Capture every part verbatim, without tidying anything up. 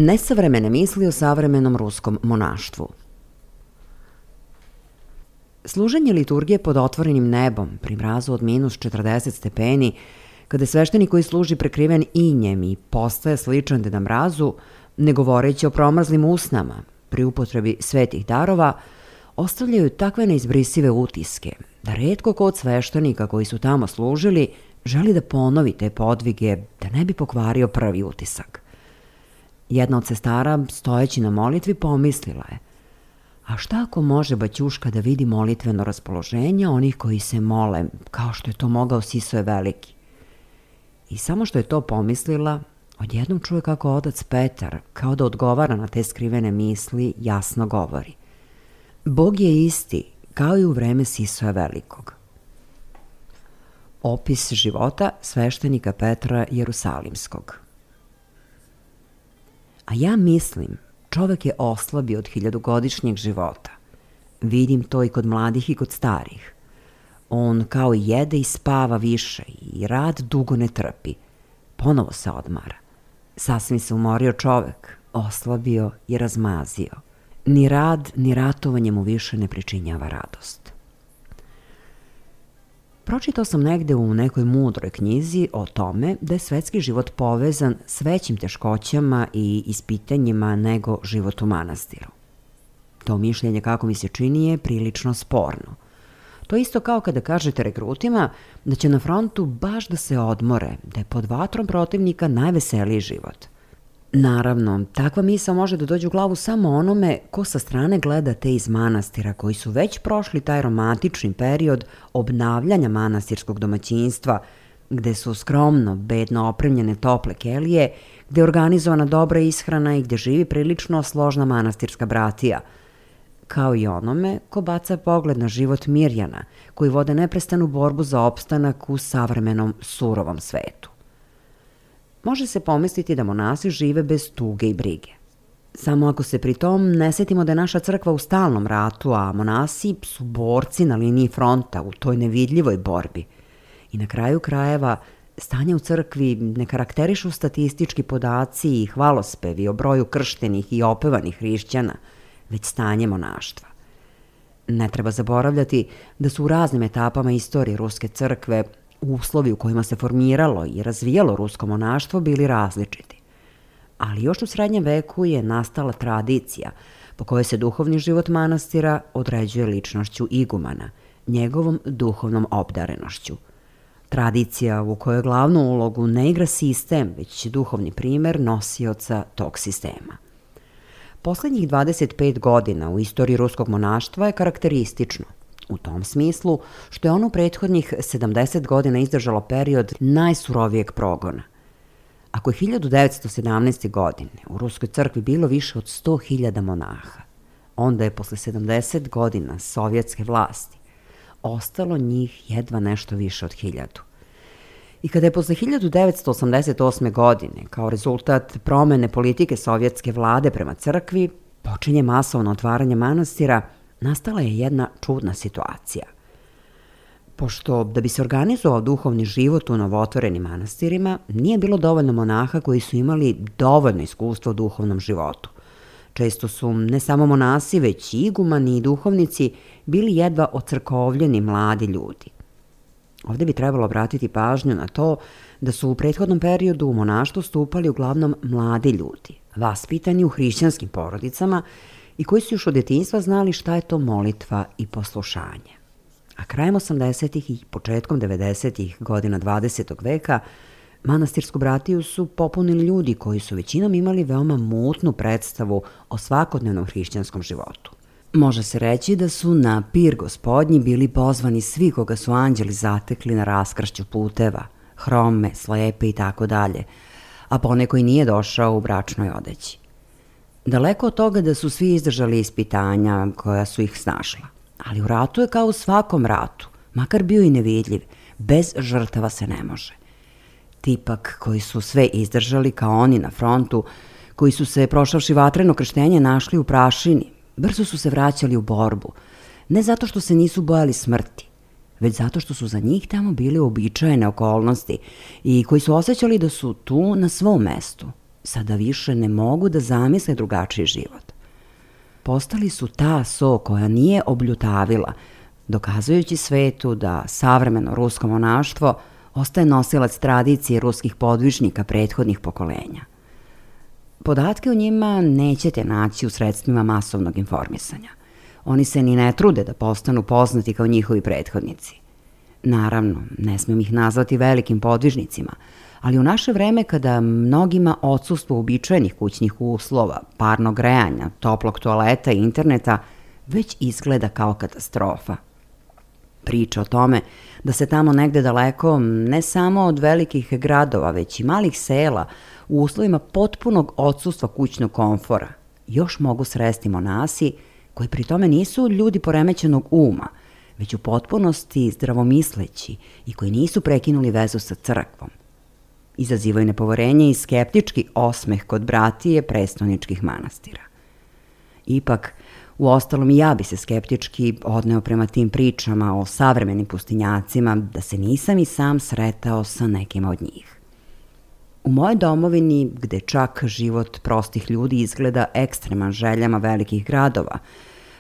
Nesavremene misli o savremenom ruskom monaštvu. Služenje liturgije pod otvorenim nebom pri mrazu od minus četrdeset stepeni, kada sveštenik koji služi prekriven injem i postaje sličan Deda Mrazu, ne govoreći o promrzlim usnama, pri upotrebi svetih darova, ostavljaju takve neizbrisive utiske, da retko ko od sveštenika koji su tamo služili želi da ponovi te podvige, da ne bi pokvario prvi utisak. Jedna od sestara, stojeći na molitvi, pomislila je: a šta ako može Baćuška da vidi molitveno raspoloženje onih koji se mole, kao što je to mogao Sisoje Veliki? I samo što je to pomislila, odjednom čuje kako otac Petar, kao da odgovara na te skrivene misli, jasno govori: Bog je isti, kao i u vreme Sisoja Velikog. Opis života sveštenika Petra Jerusalimskog. A ja mislim, čovek je oslabio od hiljadugodišnjeg života. Vidim to i kod mladih i kod starih. On kao jede i spava više i rad dugo ne trpi. Ponovo se odmara. Sasvim se umorio čovek, oslabio i razmazio. Ni rad, ni ratovanje mu više ne pričinjava radost. Pročitao sam negde u nekoj mudroj knjizi o tome da je svetski život povezan s većim teškoćama i ispitanjima nego život u manastiru. To mišljenje, kako mi se čini, je prilično sporno. To je isto kao kada kažete regrutima da će na frontu baš da se odmore, da je pod vatrom protivnika najveseliji život. Naravno, takva misao može da dođe u glavu samo onome ko sa strane gleda te iz manastira koji su već prošli taj romantični period obnavljanja manastirskog domaćinstva, gde su skromno, bedno opremljene tople kelije, gde je organizovana dobra ishrana i gde živi prilično složna manastirska bratija, kao i onome ko baca pogled na život Mirjana, koji vode neprestanu borbu za opstanak u savremenom surovom svetu. Može se pomisliti da monasi žive bez tuge i brige. Samo ako se pri tom ne setimo da je naša crkva u stalnom ratu, a monasi su borci na liniji fronta u toj nevidljivoj borbi. I na kraju krajeva, stanje u crkvi ne karakterišu statistički podaci i hvalospevi o broju krštenih i opevanih hrišćana, već stanje monaštva. Ne treba zaboravljati da su u raznim etapama istorije Ruske crkve uslovi u kojima se formiralo i razvijalo rusko monaštvo bili različiti. Ali još u srednjem veku je nastala tradicija po kojoj se duhovni život manastira određuje ličnošću igumana, njegovom duhovnom obdarenošću. Tradicija u kojoj glavnu ulogu ne igra sistem, već duhovni primer nosioca tog sistema. Poslednjih dvadeset pet godina u istoriji ruskog monaštva je karakteristično, u tom smislu što je ono u prethodnih sedamdeset godina izdržalo period najsurovijeg progona. Ako je hiljadu devetsto sedamnaeste. godine u Ruskoj crkvi bilo više od sto hiljada monaha, onda je posle sedamdeset godina sovjetske vlasti ostalo njih jedva nešto više od hiljadu. I kada je posle hiljadu devetsto osamdeset osme. godine, kao rezultat promene politike sovjetske vlade prema crkvi, počinje masovno otvaranje manastira, nastala je jedna čudna situacija. Pošto da bi se organizovao duhovni život u novotvorenim manastirima, nije bilo dovoljno monaha koji su imali dovoljno iskustva u duhovnom životu. Često su ne samo monasi, već i igumani i duhovnici bili jedva ocrkovljeni mladi ljudi. Ovde bi trebalo obratiti pažnju na to da su u prethodnom periodu u monaštvo stupali uglavnom mladi ljudi, vaspitani u hrišćanskim porodicama i koji su još od detinjstva znali šta je to molitva i poslušanje. A krajem osamdesetih i početkom devedesetih godina dvadesetog veka manastirsku bratiju su popunili ljudi koji su većinom imali veoma mutnu predstavu o svakodnevnom hrišćanskom životu. Može se reći da su na pir gospodnji bili pozvani svi koga su anđeli zatekli na raskršću puteva, hrome, slepe i tako dalje, a poneko i nije došao u bračnoj odeći. Daleko od toga da su svi izdržali ispitanja koja su ih snašla, ali u ratu je kao u svakom ratu, makar bio i nevidljiv, bez žrtava se ne može. Tipak koji su sve izdržali kao oni na frontu, koji su se prošavši vatreno krštenje našli u prašini, brzo su se vraćali u borbu, ne zato što se nisu bojali smrti, već zato što su za njih tamo bile uobičajene okolnosti i koji su osjećali da su tu na svom mestu, sada više ne mogu da zamisle drugačiji život. Postali su ta so koja nije obljutavila, dokazujući svetu da savremeno rusko monaštvo ostaje nosilac tradicije ruskih podvižnika prethodnih pokolenja. Podatke o njima nećete naći u sredstvima masovnog informisanja. Oni se ni ne trude da postanu poznati kao njihovi prethodnici. Naravno, ne smijem ih nazvati velikim podvižnicima, ali u naše vreme kada mnogima odsustvo uobičajenih kućnih uslova, parnog grejanja, toplog toaleta i interneta već izgleda kao katastrofa. Priča o tome da se tamo negde daleko, ne samo od velikih gradova, već i malih sela, u uslovima potpunog odsustva kućnog komfora, još mogu sresti monasi koji pri tome nisu ljudi poremećenog uma, već u potpunosti zdravomisleći i koji nisu prekinuli vezu sa crkvom. Izazivaju nepoverenje i skeptički osmeh kod bratije prestoničkih manastira. Ipak, Uostalom i ja bi se skeptički odneo prema tim pričama o savremenim pustinjacima da se nisam i sam sretao sa nekima od njih. U mojoj domovini, gde čak život prostih ljudi izgleda ekstreman željama velikih gradova,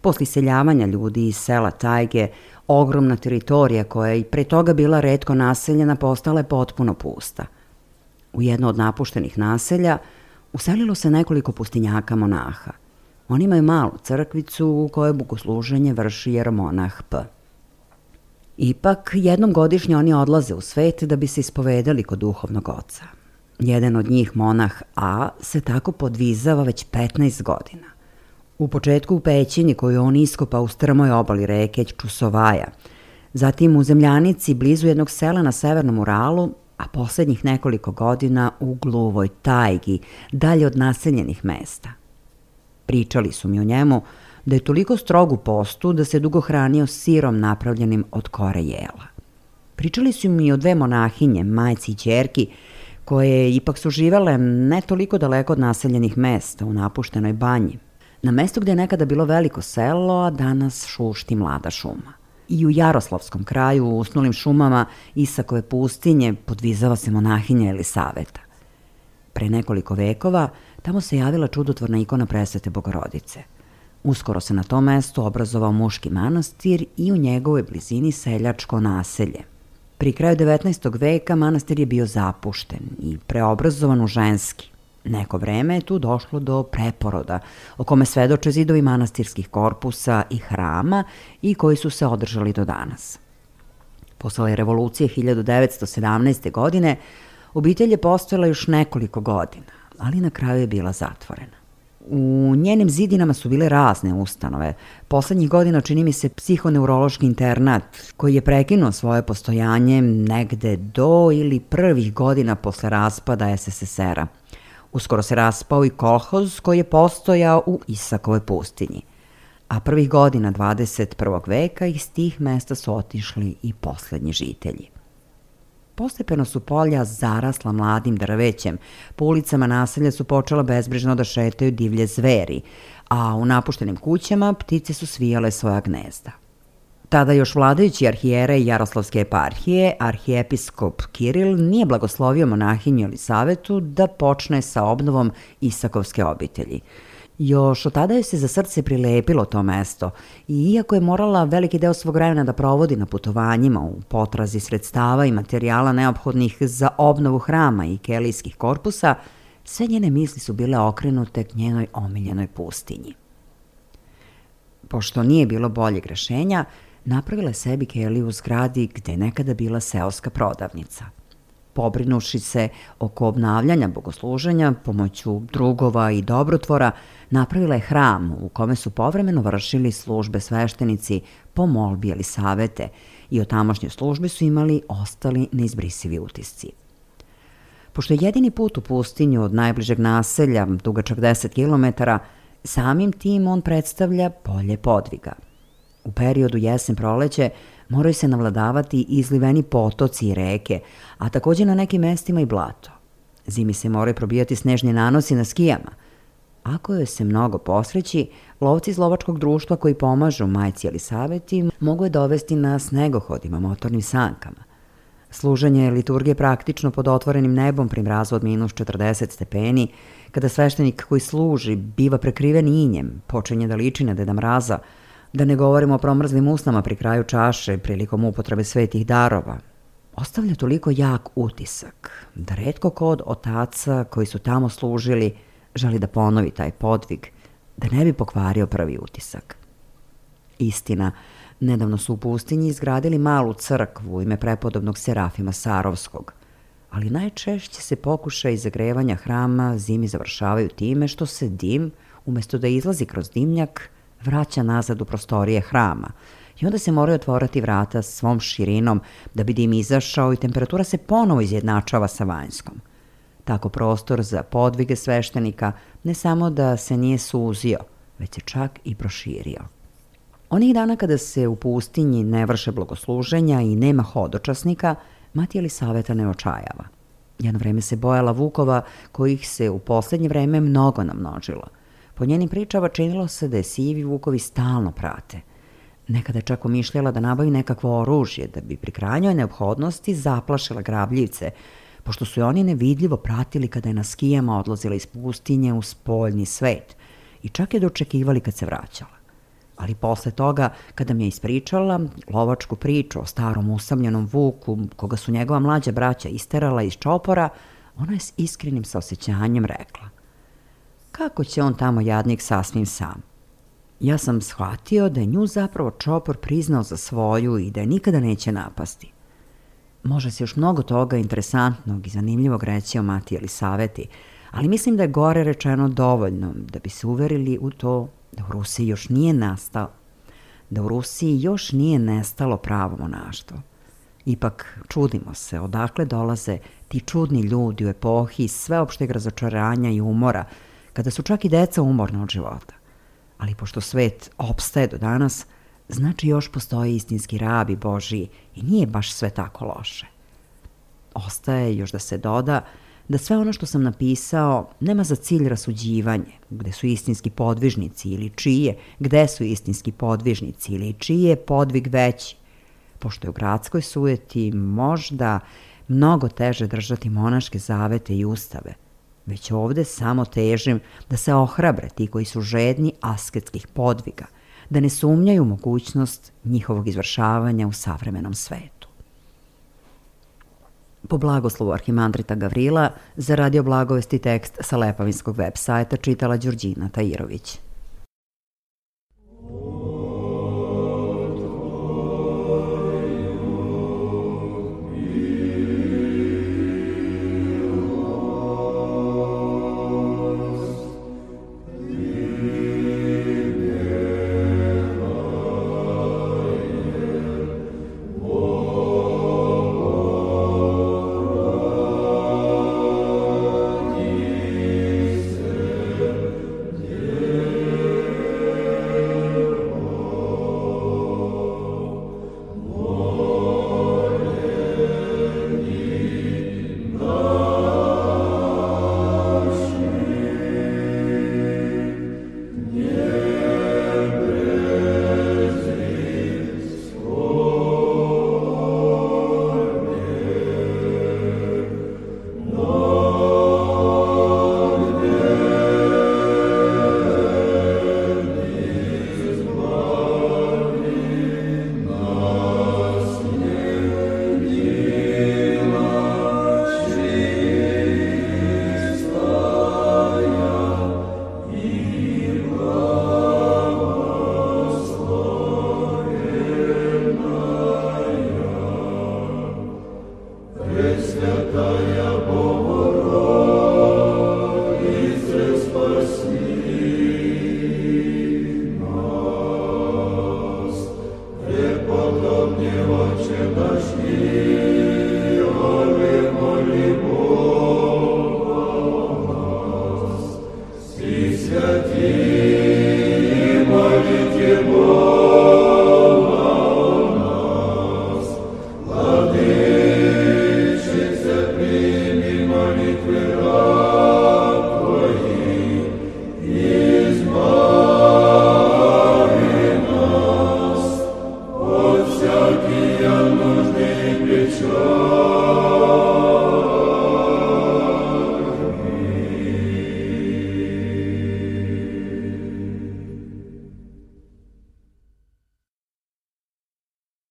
posle iseljavanja ljudi iz sela tajge, ogromna teritorija koja je i pre toga bila retko naseljena postala je potpuno pusta. U jedno od napuštenih naselja uselilo se nekoliko pustinjaka monaha. Oni imaju malu crkvicu u kojoj bogosluženje vrši jeromonah P. Ipak, jednom godišnje oni odlaze u svet da bi se ispovedali kod duhovnog oca. Jedan od njih, monah A, se tako podvizava već petnaest godina. U početku u pećini koju on iskopa u strmoj obali reke Čusovaja, zatim u zemljanici blizu jednog sela na severnom Uralu, a poslednjih nekoliko godina u gluvoj tajgi, dalje od naseljenih mesta. Pričali su mi o njemu da je toliko strog u postu da se dugo hranio sirom napravljenim od kore jela. Pričali su mi o dve monahinje, majci i ćerki, koje ipak su živele ne toliko daleko od naseljenih mesta, u napuštenoj banji, na mestu gde je nekada bilo veliko selo, a danas šušti mlada šuma. I u Jaroslavskom kraju, u usnulim šumama Isakove pustinje, podvizava se monahinja Elisaveta. Pre nekoliko vekova tamo se javila čudotvorna ikona Presvete Bogorodice. Uskoro se na tom mestu obrazovao muški manastir i u njegovoj blizini seljačko naselje. Pri kraju devetnaestog veka manastir je bio zapušten i preobrazovan u ženski. Neko vreme je tu došlo do preporoda, o kome svedoče zidovi manastirskih korpusa i hrama i koji su se održali do danas. Posle revolucije hiljadu devetsto sedamnaeste. godine obitelj je postojala još nekoliko godina, ali na kraju je bila zatvorena. U njenim zidinama su bile razne ustanove. Poslednjih godina čini mi se psihoneurološki internat koji je prekinuo svoje postojanje negde do ili prvih godina posle raspada es es es era. Uskoro se raspao i kolhoz koji je postojao u Isakovoj pustinji. A prvih godina dvadeset prvog veka iz tih mesta su otišli i poslednji žitelji. Postepeno su polja zarasla mladim drvećem, po ulicama naselja su počela bezbrižno da šetaju divlje zveri, a u napuštenim kućama ptice su svijale svoja gnezda. Tada još vladajući arhijerej Jaroslavske eparhije, arhijepiskop Kiril, nije blagoslovio monahinju Elisavetu da počne sa obnovom Isakovske obitelji. Još od tada joj se za srce prilepilo to mesto i iako je morala veliki deo svog vremena da provodi na putovanjima u potrazi sredstava i materijala neophodnih za obnovu hrama i kelijskih korpusa, sve njene misli su bile okrenute k njenoj omiljenoj pustinji. Pošto nije bilo boljeg rešenja, napravila je sebi keliju u zgradi gde je nekada bila seoska prodavnica. Pobrinuši se oko obnavljanja bogosluženja pomoću drugova i dobrotvora, napravila je hram u kome su povremeno vršili službe sveštenici po molbi Elisavete i o tamošnjoj službi su imali ostali neizbrisivi utisci. Pošto je jedini put u pustinju od najbližeg naselja, dugačak deset kilometara, samim tim on predstavlja polje podviga. U periodu jesen-proleće moraju se navladavati izliveni potoci i reke, a takođe na nekim mestima i blato. Zimi se moraju probijati snežni nanosi na skijama. Ako joj se mnogo posreći, lovci iz lovačkog društva koji pomažu majci Elisaveti mogu je dovesti na snegohodima, motornim sankama. Služenje liturgije praktično pod otvorenim nebom pri mrazu od minus četrdeset stepeni, kada sveštenik koji služi biva prekriven injem, počinje da liči na Deda Mraza, da ne govorimo o promrzlim usnama pri kraju čaše prilikom upotrebe svetih darova, ostavlja toliko jak utisak da retko ko od otaca koji su tamo služili želi da ponovi taj podvig, da ne bi pokvario prvi utisak. Istina, nedavno su u pustinji izgradili malu crkvu u ime prepodobnog Serafima Sarovskog, ali najčešće se pokušaj zagrevanja hrama zimi završavaju time što se dim, umesto da izlazi kroz dimnjak, vraća nazad u prostorije hrama i onda se moraju otvorati vrata svom širinom da bi dim izašao i temperatura se ponovo izjednačava sa vanjskom. Tako prostor za podvige sveštenika ne samo da se nije suzio, već se čak i proširio. Onih dana kada se u pustinji ne vrše blagosluženja i nema hodočasnika, mati Elisaveta ne očajava. Jedno vreme se bojala vukova kojih se u poslednje vreme mnogo namnožilo. Po njenim pričama činilo se da je sivi vukovi stalno prate. Nekada je čak umišljala da nabavi nekakvo oružje, da bi pri krajnjoj neophodnosti zaplašila grabljivce, pošto su je oni nevidljivo pratili kada je na skijama odlazila iz pustinje u spoljni svet i čak je dočekivali kad se vraćala. Ali posle toga, kada mi je ispričala lovačku priču o starom usamljenom vuku, koga su njegova mlađa braća isterala iz čopora, ona je s iskrenim saosećanjem rekla: kako će on tamo jadnik sasvim sam? Ja sam shvatio da je nju zapravo čopor priznao za svoju i da je nikada neće napasti. Može se još mnogo toga interesantnog i zanimljivog reći o Mati Elisaveti, ali mislim da je gore rečeno dovoljno da bi se uverili u to da u Rusiji još nije nastao, da u Rusiji još nije nestalo pravo monaštvo. Ipak čudimo se odakle dolaze ti čudni ljudi u epohi sveopšteg razočaranja i umora, kada su čak i deca umorna od života. Ali pošto svet opstaje do danas, znači još postoje istinski rabi Božiji i nije baš sve tako loše. Ostaje još da se doda da sve ono što sam napisao nema za cilj rasuđivanje, gde su istinski podvižnici ili čije, gde su istinski podvižnici ili čiji je podvig veći, pošto je u gradskoj sujeti možda mnogo teže držati monaške zavete i ustave, već ovde samo težim da se ohrabre ti koji su žedni asketskih podviga, da ne sumnjaju u mogućnost njihovog izvršavanja u savremenom svetu. Po blagoslovu arhimandrita Gavrila, za Radio Blagovesti tekst sa Lepavinskog web sajta čitala Đurđina Tajirović.